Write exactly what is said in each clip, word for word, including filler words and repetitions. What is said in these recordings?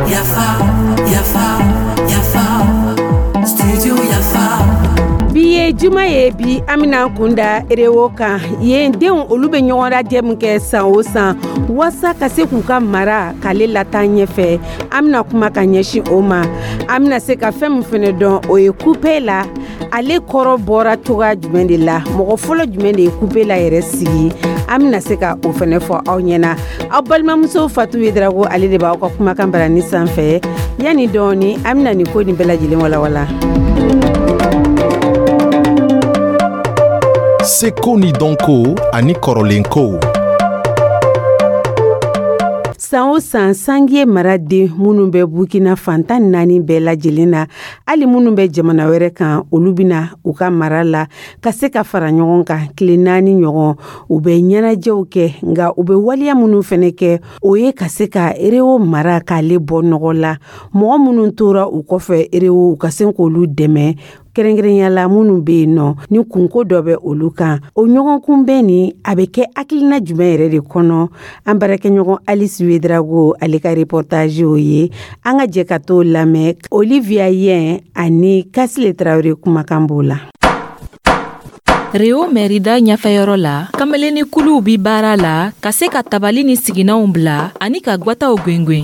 Yafa, Yafa, Yafa, Studio Yafa. Bi ye juma ye, bi an bɛna kunda Erewo kan. Yen denw, olu bɛ ɲɔgɔn lajɛ min kɛ san o san waasa ka se k'u ka mara k'ale lataa ɲɛfɛ, an bɛna kuma ka ɲɛsin o ma. An bɛna se ka fɛn min fɛnɛ dɔn, o ye kupela, ale kɔrɔ bɔra cogoya jumɛn de la, mɔgɔ fɔlɔ jumɛn de ye kupela yɛrɛ sigi, an bɛna se ka o fɛnɛ fɔ aw ɲɛna. Aw balimamuso Fatu Yedrago, ale de b'aw ka kumakan barani sanfɛ. Yanni dɔɔni, an bɛna nin ko nin bɛɛ lajɛlen walawala. Seko ni dɔnko ani kɔrɔlenkow. San o san, Sangiye maraden minnu bɛ Burkina fantan naani bɛɛ lajɛlen na, hali minnu bɛ jamana wɛrɛ kan, olu bɛna u ka mara la ka se ka fara ɲɔgɔn kan tile naani ɲɔgɔn. U bɛ ɲɛnajɛw kɛ, nka u bɛ waleya minnu fɛnɛ kɛ, o ye ka se ka Erewo mara k'ale bɔ nɔgɔ la, mɔgɔ minnu tora u kɔfɛ Erewo, u ka se k'olu dɛmɛ, kɛrɛnkɛrɛnya la minnu bɛ yen nɔ ni kunko dɔ bɛ olu kan. O ɲɔgɔn kunbɛn nin, a bɛ kɛ hakilina jumɛn yɛrɛ de kɔnɔ? An baarakɛɲɔgɔn Alice Wedrago, ale ka reportage o ye, an ka jɛ ka t'o lamɛn. Olivia Yɛn ani Kasile Tarawele kumakan b'o la. Reo mɛrida ɲɛfɛyɔrɔ la, kamalenni kuluw bi baara la ka se ka tabali ni siginanw bila ani ka gwataw gwengwen.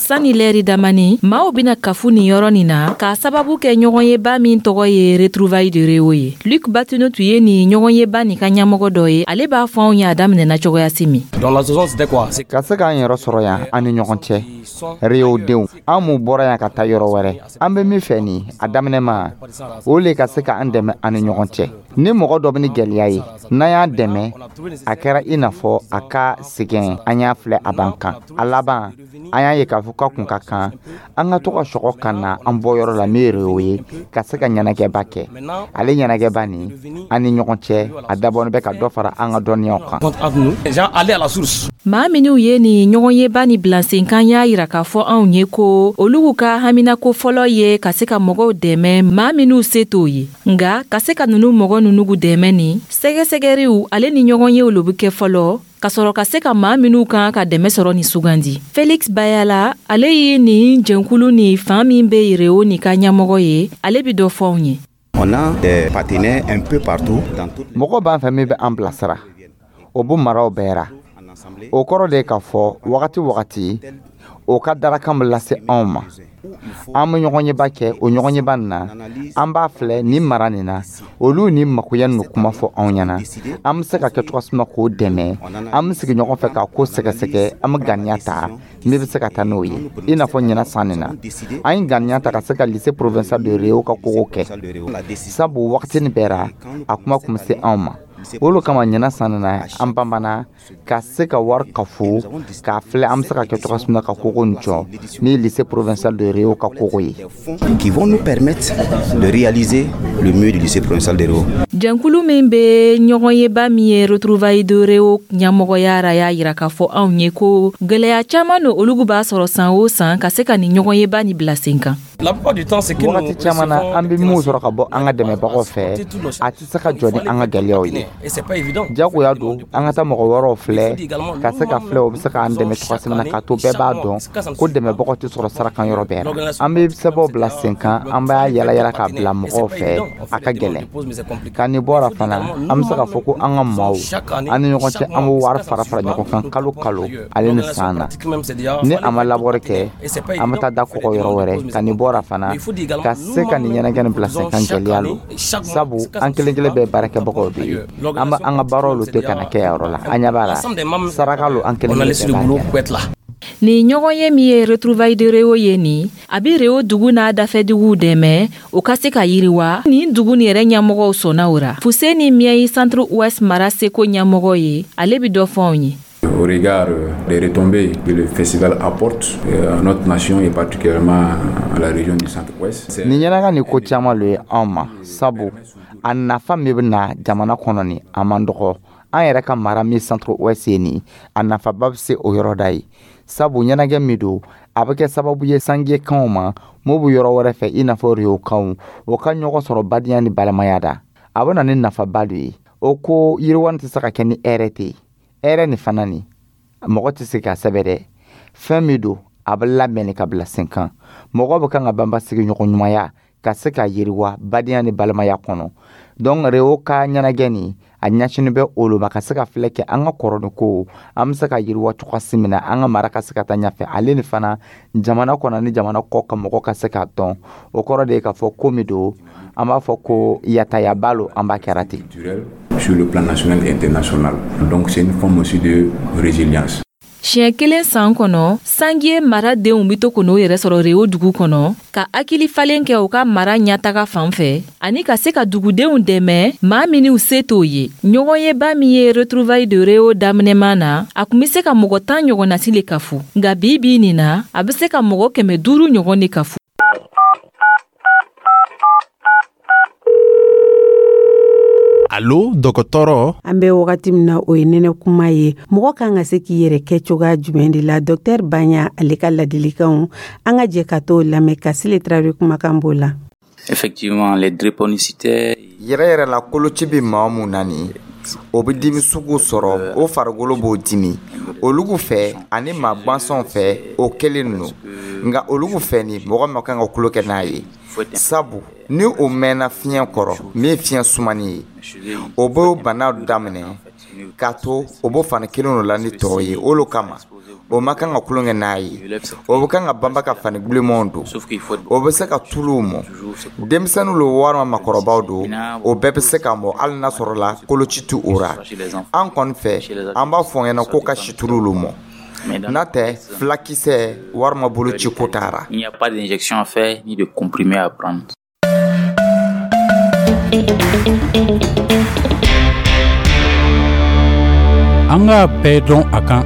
Sani lɛri damani, maaw bena kafu nin yɔrɔ nin na k'a sababu kɛ ɲɔgɔnyeba min tɔgɔ ye Retrouvailles de Reo ye. Luk Batino tun ye nin ɲɔgɔnyeba nin ka ɲɛmɔgɔ dɔ ye. Ale b'a fɔ anw ye a daminɛna cogoyasi min. Ka se k'an yɛrɛ sɔrɔ yan an ni ɲɔgɔn cɛ, Reo denw, an m'u bɔra yan ka taa yɔrɔ wɛrɛ, an bɛ min fɛ nin a daminɛ ma, o le ka se k'an dɛmɛ an ni ɲɔgɔn cɛ. Ni mɔgɔ dɔ bɛ ni gɛlɛya ye, n'an y'a dɛmɛ, a kɛra i n'a fɔ a ka sɛgɛn an y'a filɛ a b'an kan. A laban, an y'a ye k'a fɔ k'a kun ka kan an ka to ka sɔgɔ ka na an bɔyɔrɔ la min ye Reo ye, ka se ka ɲɛnajɛba kɛ. Ale ɲɛnajɛba nin an ni ɲɔgɔn cɛ, a dabɔnin bɛ ka dɔ fara an ka dɔnniyaw kan. Maa minw ye nin ɲɔgɔnyeba ni bilasenkan y'a yira k'a fɔ anw ye ko olu ka haminako fɔlɔ ye ka se ka mɔgɔw dɛmɛ, maa minw se t'o ye. Nga ka se ka nunu mɔgɔ nunugu dɛmɛ nin, sɛgɛsɛgɛriw ale ni ɲɔgɔnyew lo be kɛ fɔlɔ, ka sɔrɔ ka se ka maa minw kan ka dɛmɛ sɔrɔ ni sugandi. Felix Bayala, ale ye nin jɛnkulu ni fan min be Reo ni ka ɲɛmɔgɔ ye, ale bi dɔ fɔ anw ye. On a des partenaires un peu partout dans toutes Mɔgɔ b'an fɛ min bɛ an bilasira, o b'o maraw bɛɛ ra. O kɔrɔ de ye k'a fɔ wagati wagati o ka darakan bɛ lase anw ma, an bɛ ɲɔgɔnyeba kɛ. O ɲɔgɔnyeba nin na, an b'a filɛ nin mara nin na, olu ni makoya ninnu kuma fɔ anw ɲɛna, an bɛ se ka kɛ cogo min k'o dɛmɛ. An bɛ sigi ɲɔgɔn fɛ k'a ko sɛgɛsɛgɛ, an bɛ ganiya ta min bɛ se ka taa n'o ye. I n'a fɔ ɲinan san nin na, an ye ganiya ta ka se ka lycée provincial de Reo ka kogo kɛ, sabu wagati nin bɛɛ ra a kuma kun bɛ se anw ma. O kama ɲinan san nin na, an banbana ka se ka wari kafo k'a filɛ an bɛ se ka kɛ cogo min na ka kogo nin jɔ, min ye lycée provincial de Reo ka kogo ye. Qui vont nous permettre de réaliser le mur du lycée provincial de Reo. Jɛnkulu min bɛ ɲɔgɔnyeba min ye Retrouvailles de Reo ɲɛmɔgɔya ra y'a yira k'a fɔ anw ye ko gwɛlɛya caaman no olugu b'a sɔrɔ san o san ka se ka nin ɲɔgɔnyeba ni bila sen kan. Wagati caman na, an bɛ minw sɔrɔ ka bɔ an ka dɛmɛbagaw fɛ, a tɛ se ka jɔ ni an ka gɛlɛyaw ye. Jagoya don an ka taa mɔgɔ wɛrɛw filɛ ka se ka filɛ o bɛ se k'an dɛmɛ cogoya min na, k'a to bɛɛ b'a dɔn ko dɛmɛbagaw tɛ sɔrɔ sarakan yɔrɔ bɛɛ la. An bɛ sɛbɛnw bila sen kan, an b'a yala yala k'a bila mɔgɔw fɛ, a ka gɛlɛn. Ka nin bɔra fana, an bɛ se k'a fɔ ko an ka maaw an ni ɲɔgɔn cɛ, an bɛ wari fara fara ɲɔgɔn kan kalo kalo ale ni san na. Ni a ma labɔri kɛ, an bɛ taa da kɔgɔ yɔrɔ wɛrɛ. Ka nin bɔra fana, ka se ka nin ɲɛnajɛ nin bila sen kan, gɛlɛya lo, sabu an kelen kelen bɛɛ baarakɛbagaw de ye. An bɛ an ka baaraw lo to ka na kɛ yɔrɔ la, an ɲɛ b'a la saraka lo, an kelen kelen bɛɛ b'a kɛ. Nin ɲɔgɔn ye min ye Retrouvailles de Reo ye nin, a bi Reo dugu n'a dafɛduguw dɛmɛ o ka se ka yiriwa. Nin dugu nin yɛrɛ ɲɛmɔgɔw sɔnna o ra. Fuseni Miyayi, Centre Ouest mara seko ɲɛmɔgɔ ye, ale bi dɔ fɔ anw ye. Au regard des retombées que le festival apporte à notre nation et particulièrement à la région du Centre-Ouest. Nin ɲɛnaga nin ko caman lo ye anw ma, sabu a nafa min bɛ na jamana kɔnɔ nin, a man dɔgɔ. An yɛrɛ ka mara min Centre Ouest ye nin, a nafaba bɛ se o yɔrɔ da ye, sabu ɲɛnajɛ min don, a bɛ kɛ sababu ye sanjɛkanw ma m'o bɛ yɔrɔ wɛrɛ fɛ, i n'a fɔ Riokanw, o ka ɲɔgɔn sɔrɔ badenya ni balimaya da. A bɛ na ni nafaba de ye. O ko yiriwa tɛ se ka kɛ ni hɛrɛ tɛ ye. Hɛrɛ nin fana nin, mɔgɔ tɛ se k'a sɛbɛn dɛ. Fɛn min don, a bɛ labɛn ka bila sen kan. Mɔgɔ bɛ kan ka banba sigiɲɔgɔn ɲumanya ka se ka yiriwa badenya ni balimaya kɔnɔ. Donc Réo ka ɲɛnajɛ nin, a ɲɛsinin bɛ olu ma ka se ka filɛ kɛ an ka kɔrɔni ko an bɛ se ka yiriwa cogoya min na, an ka mara ka se ka taa ɲɛfɛ, ale ni fana jamana kɔnɔ ni jamana kɔ ka mɔgɔ ka se k'a dɔn. O kɔrɔ de ye k'a fɔ ko min don, an b'a fɔ ko yatayaba lo, an b'a kɛra ten. Sur le plan national et international. Donc c'est une forme aussi de résilience. Siɲɛ kelen san kɔnɔ, Sangiye mara denw bɛ to k'o yɛrɛ sɔrɔ Réo dugu kɔnɔ ka hakili falen kɛ u ka mara ɲɛtaga fan fɛ ani ka se ka dugudenw dɛmɛ maa minnu se t'o ye. Ɲɔgɔnyeba min ye retrouvailles de Réo daminɛman na, a kun bɛ se ka mɔgɔ tan ɲɔgɔnnasi le kafu, nka bi bi nin na, a bɛ se ka mɔgɔ kɛmɛ duuru ɲɔgɔn de kafu. Alo dɔgɔtɔrɔ. An bɛ wagati min na, o ye nɛnɛ kuma ye. Mɔgɔ kan ka se k'i yɛrɛ kɛ cogoya jumɛn de la? Dɔktɛr Baɲa, ale ka ladilikanw, an ka jɛ ka t'o lamɛn ka Sile Tarawele kumakan b'o la. Effectivement, les drépanocytaires. Yɛrɛ yɛrɛ la, koloci bɛ maa mun na nin, o bɛ dimi sugu sɔrɔ, o farikolo b'o dimi. Olugu fɛ ani maa gwansanw fɛ, o kelen don. Nka olugu fɛ ni mɔgɔ ma kan ka kulo kɛ n'a ye, sabu ni o mɛnna fiɲɛ kɔrɔ min ye fiɲɛ sumani ye, o b'o bana daminɛ k'a to o b'o fani kelen la ni tɔw ye. O lo kama o ma kan ka tulon kɛ n'a ye. O bɛ kan ka banba ka fani bilenmanw don, o bɛ se ka tuluw mɔ. Denmisɛnninw lo walima makɔrɔbaw don, o bɛɛ bɛ se ka mɔ, hali n'a sɔrɔ la koloci tɛ o ra. An kɔni fɛ, an b'a fɔ ɲɛna ko ka situlu lo mɔ, n'a tɛ fulakisɛ walima boloci ko taara. Il n'y a pas d'injection à faire ni de comprimé à prendre. An k'a bɛɛ dɔn a kan.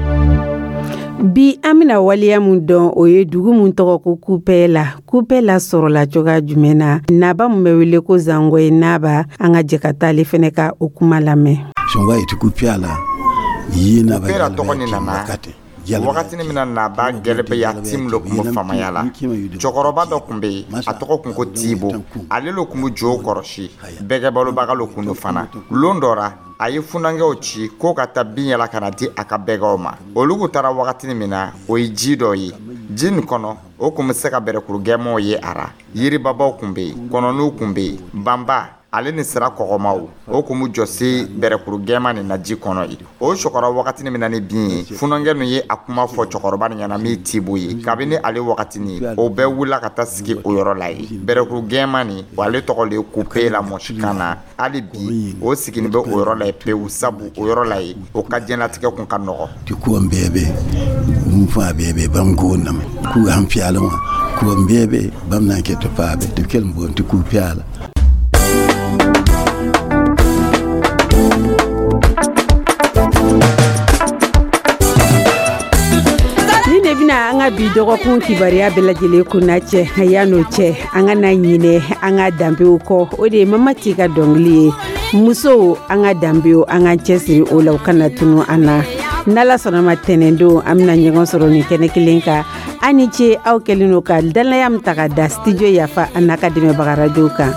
Bi an bɛna waleya mun dɔn, o ye dugu mun tɔgɔ ko Kupɛla. Kupɛla sɔrɔla cogoya jumɛn na? Naba mun bɛ wele ko Zangɔye Naba, an ka jɛ ka taa ale fɛnɛ ka o kuma lamɛn. Kupɛla tɔgɔ nin nana wagati min na Naba gɛlɛbɛya tim lo kun bɛ famaya la. Cɛkɔrɔba dɔ kun bɛ yen, a tɔgɔ kun ko Tibo. Ale lo kun bɛ jo kɔrɔsi, bɛgɛbalobaga lo kun do fana. Lon dɔ ra, a ye funankɛw ci k'o ka taa bin yala ka na di a ka bɛgɛw ma. Olugu taara wagatini min na, o ye ji dɔ ye. Ji nin kɔnɔ, o kun bɛ se ka bɛrɛkuru gɛmanw ye a ra. Yiribabaw kun bɛ yen, kɔnɔniw kun bɛ yen, banba ale ni sira kɔgɔmaw, o kun bɛ jɔsi bɛrɛkuru gɛman nin na ji kɔnɔ ye. O sɔkɔrɔ wagatini min na ni bin ye, funankɛ ninnu ye a kuma fɔ cɛkɔrɔba nin ɲɛna min Tibo ye. Kabini ale wagatini, o bɛɛ wulila ka taa sigi o yɔrɔ la ye. Bɛrɛkuru gɛman nin, o ale tɔgɔ le ye Kupela mɔsikan na. Hali bi o siginin bɛ o yɔrɔ la ye pewu, sabu o yɔrɔ la ye o ka diɲɛlatigɛ kun ka nɔgɔ. An ka bi dɔgɔkun kibaruya bɛɛ lajɛlen kunna cɛ, yan'o cɛ, an ka na ɲinɛ an ka danbew kɔ. O de ye Mamati ka dɔnkili ye. Musow, an ka danbew, an ka cɛsiri o la, u kana tunu an na. N'Ala sɔnna ma, tɛnɛndon an bɛna ɲɔgɔn sɔrɔ nin kɛnɛ kelen kan. An ni ce aw kɛlen don ka danaya min ta ka da Studio Yafa an n'a ka dɛmɛbaga radio kan.